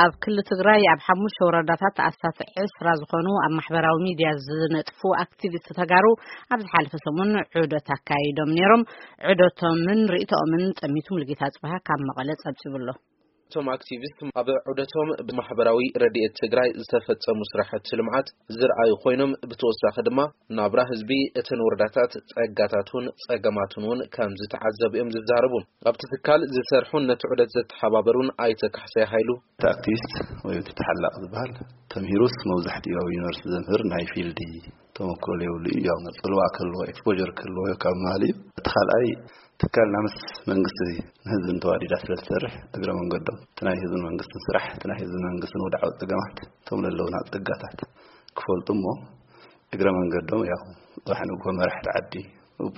ኣብ ክልል ትግራይ ኣብ ሓሙሽተ ወረዳታት ኣስታት ዕስራ ዝኾኑ ኣብ ማሕበራዊ ሚድያ ዝነጥፉ ኣክቲቪስት ተጋሩ ኣብ ዝሓለፈ ሰሙን ዑደት ኣካይዶም ነይሮም። ዑደቶምን ርእይቶኦምን ጸሚቱ ሙሉጌታ ጽባሃ ካብ መቐለ ጸብጺቡ ኣሎ። እቶም ኣክቲቪስት ኣብ ዑደቶም ብማሕበራዊ ረድኤት ትግራይ ዝተፈጸሙ ስራሕቲ ልምዓት ዝረኣዩ ኮይኖም፣ ብተወሳኺ ድማ ናብራ ህዝቢ እተን ወረዳታት ጸጋታቱን ጸገማቱን እውን ከም ዝተዓዘቡ እዮም ዝዛረቡ። ኣብቲ ትካል ዝሰርሑን ነቲ ዑደት ዘተሓባበሩን ኣይተ ካሕሳይ ሃይሉ፣ እቲ ኣክቲቪስት ወይ እቲ ተሓላቕ ዝበሃል ተምሂሩስ መብዛሕትኡ ኣብ ዩኒቨርሲቲ ዘምህር ናይ ፊልድ ተመክሮ ዘይብሉ እዩ። ያው ጽልዋ ክህልዎ፣ ኤክስፖጀር ክህልዎ ካብ ምባል እዩ። እቲ ካልኣይ፣ ትካልና ምስ መንግስቲ ንህዝብን ተዋዲዳ ስለ ትሰርሕ፣ እግረ መንገዶም እቲ ናይ ህዝብን መንግስትን ስራሕ፣ እቲ ናይ ህዝብን መንግስትን ወድዓዊ ጸገማት፣ እቶም ዘለዉና ጸጋታት ክፈልጡ እሞ፣ እግረ መንገዶም ያው ጽባሕ ንግሆ መራሕቲ ዓዲ፣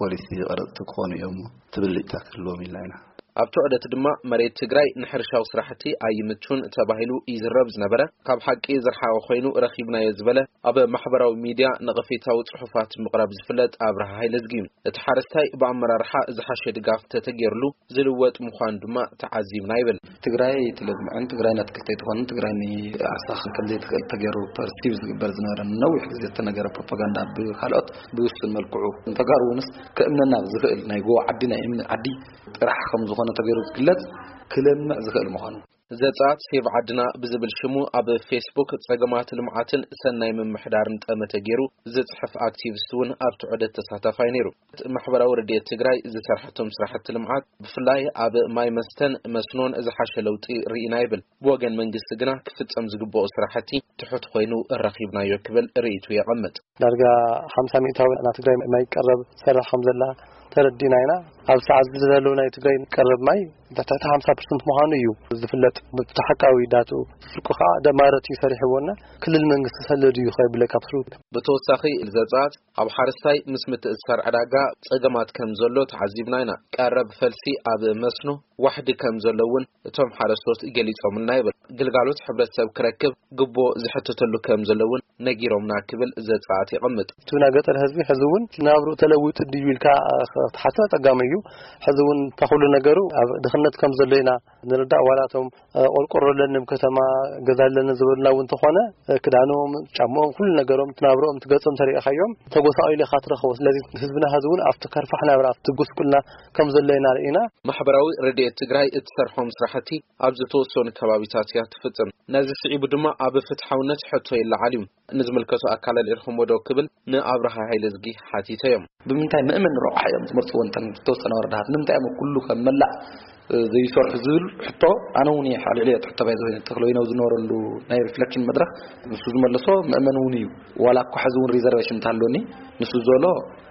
ፖሊሲ ቀረጽቲ ክኾኑ እዮም እሞ፣ ትብልጭታ ክህልዎም ኢልና ኢና። ኣብቲ ዑደት ድማ መሬት ትግራይ ንሕርሻዊ ስራሕቲ ኣይምቹን ተባሂሉ ይዝረብ ዝነበረ፣ ካብ ሓቂ ዝረሓቐ ኮይኑ ረኺብናዮ ዝበለ፣ ኣብ ማሕበራዊ ሚድያ ነቐፌታዊ ጽሑፋት ምቕራብ ዝፍለጥ ኣብርሃ ሃይለዝጊ፣ እቲ ሓረስታይ ብኣመራርሓ ዝሓሸ ድጋፍ ተተገይርሉ ዝልወጥ ምዃኑ ድማ ተዓዚብና ይብል። ትግራይ ትለምዕን ትግራይ ናትክልተ ኣይትኾንን፣ ትግራይ ንዓርሳ ከምዘይትኽእል ተገይሩ ፐርሲቭ ዝግበር ዝነበረ ነዊሕ ግዜ ዝተነገረ ፕሮፓጋንዳ ብካልኦት ብውሱን መልክዑ ንተጋሩ እውንስ ከእምነና ዝኽእል ናይ ጎቦ ዓዲ ናይ እምኒ ዓዲ ጥራሕ ከም ዝኾነ ተገይሩ ዝግለጽ ክለምዕ ዝኽእል ምዃኑ። ዘጻት ሴቭ ዓድና ብዝብል ሽሙ ኣብ ፌስቡክ ጸገማት ልምዓትን ሰናይ ምምሕዳርን ጠመተ ገይሩ ዝጽሕፍ ኣክቲቪስት እውን ኣብቲ ዑደት ተሳታፋይ ነይሩ። ማሕበራዊ ረድኤት ትግራይ ዝሰርሐቶም ስራሕቲ ልምዓት ብፍላይ ኣብ ማይ መስተን መስኖን ዝሓሸ ለውጢ ርኢና ይብል። ብወገን መንግስቲ ግና ክፍጸም ዝግብኦ ስራሕቲ ትሑት ኮይኑ ረኺብናዮ ክብል ርእይቱ የቐምጥ። ዳርጋ ሓምሳ ሚእታዊ ናብ ትግራይ ማይ ቀረብ ትሰርሕ ከም ዘላ ተረዲና ኢና። ኣብ ሰዓት እዚ ዘሎ ናይ ትግራይ ቀረብ ማይ ትሕቲ ሓምሳ ፐርሰንት ምዃኑ እዩ ዝፍለጥ። ብሓቃዊ ዳትኡ ስርቁ ከዓ ደማረት እዩ ሰሪሕዎና። ክልል መንግስቲ ሰለድ እዩ ከይብለካ ብስሩ። ብተወሳኺ ዘጻት ኣብ ሓረስታይ ምስ ምትእስሳር ዕዳጋ ጸገማት ከም ዘሎ ተዓዚብና ኢና። ቀረብ ፈልሲ ኣብ መስኖ ዋሕዲ ከም ዘሎ እውን እቶም ሓረስቶት ገሊጾምልና ይብል። ግልጋሎት ሕብረተሰብ ክረክብ ግቦ ዝሕተተሉ ከም ዘሎ እውን ነጊሮምና ክብል ዘጻት ይቐምጥ። እቲ ናይ ገጠር ህዝቢ ሕዚ እውን ናብርኡ ተለዊጡ ድዩ ኢልካ ክትሓትት ኣጸጋሚ እዩ። ሕዚ እውን እታ ኩሉ ነገሩ ኣብ ድኽነት ከም ዘሎ ኢና ንርዳእ። ዋላ እቶም፣ እ፣ ቆርቆሮ ኣለኒ ኣብ ከተማ ገዛ ኣለኒ ዝበሉና እውን እንተኾነ፣ እ፣ ክዳኖም፣ ጫምኦም፣ ኩሉ ነገሮም፣ እቲ ናብርኦም፣ እቲ ገጾም ተሪእኻዮም ተጎሳቒሉ ኢኻ ትረኽቦ። ስለዚ ህዝብና ሕዚ እውን ኣብቲ ከርፋሕ ናብራ፣ ኣብቲ ጉስቁልና ከም ዘሎ ኢና ርኢና። ማሕበራዊ ረድኤት ትግራይ እትሰርሖም ስራሕቲ ኣብ ዝተወሰኑ ከባቢታት እያ ትፍጽም። ነዚ ስዒቡ ድማ ኣብ ፍትሓውነት ሕቶ ይለዓል እዩ። ንዝምልከቶ ኣካል ኣልዒልኩሞ ዶ ክብል ንኣብርሃ ሃይለዝጊ ሓቲተዮም። ብምንታይ ምእመን ረቑሓ እዮም ዝመርፅዎ እንተን ዝተወሰነ ወረዳታት? ንምንታይ እዮም ኩሉ ከም መላእ፣ እ፣ ዘይሰርሑ ዝብል ሕቶ ኣነ እውን እየ ኣልዒለ እየ። ሕቶ ባይ ዝኾነ ተኽለ ወይነው ዝነበረሉ ናይ ሪፍሌክሽን መድረኽ ንሱ ዝመለሶ ምእመን እውን እዩ። ዋላ እኳ ሕዚ እውን ሪዘርቬሽን እንተሃለወኒ ንሱ ዘሎ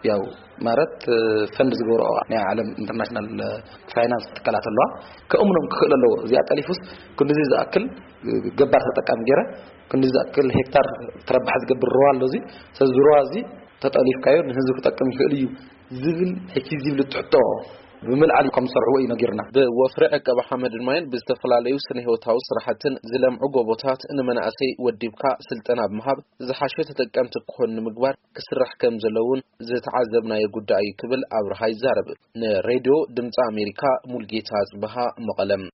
ያው ማለት፣ እ፣ ፈንድ ዝገብሮ ናይ ዓለም ኢንተርናሽናል፣ እ፣ ፋይናንስ ትካላት ኣለዋ። ከእምኖም ክኽእል ኣለዎ። እዚኣ ጠሊፉስ ክንድዚ ዝኣክል፣ እ፣ ገባር ተጠቃሚ ገይረ ክንዲ ዝኣክል ሄክታር ተረባሕ ዝገብር ሩባ ኣሎ። እዚ ስለዚ ሩባ እዚ ተጠሊፍካዮ ንህዝቢ ክጠቅም ይኽእል እዩ ዝብል ሕጂ ዝብል ትሕቶ ብምልዓል ከም ዝሰርሕዎ እዩ ነጊርና። ብወፍሪ ዕቀባ ሓመድን ማይን ብዝተፈላለዩ ስነ ህይወታዊ ስራሕትን ዝለምዑ ጎቦታት ንመናእሰይ ወዲብካ ስልጠና ብምሃብ ዝሓሸ ተጠቀምቲ ክኾኑ ንምግባር ክስራሕ ከም ዘለውን ዝተዓዘብናዮ ጉዳይ እዩ ክብል ኣብርሃ ይዛረብ። ንሬድዮ ድምፂ ኣሜሪካ ሙልጌታ ጽብሃ መቐለም።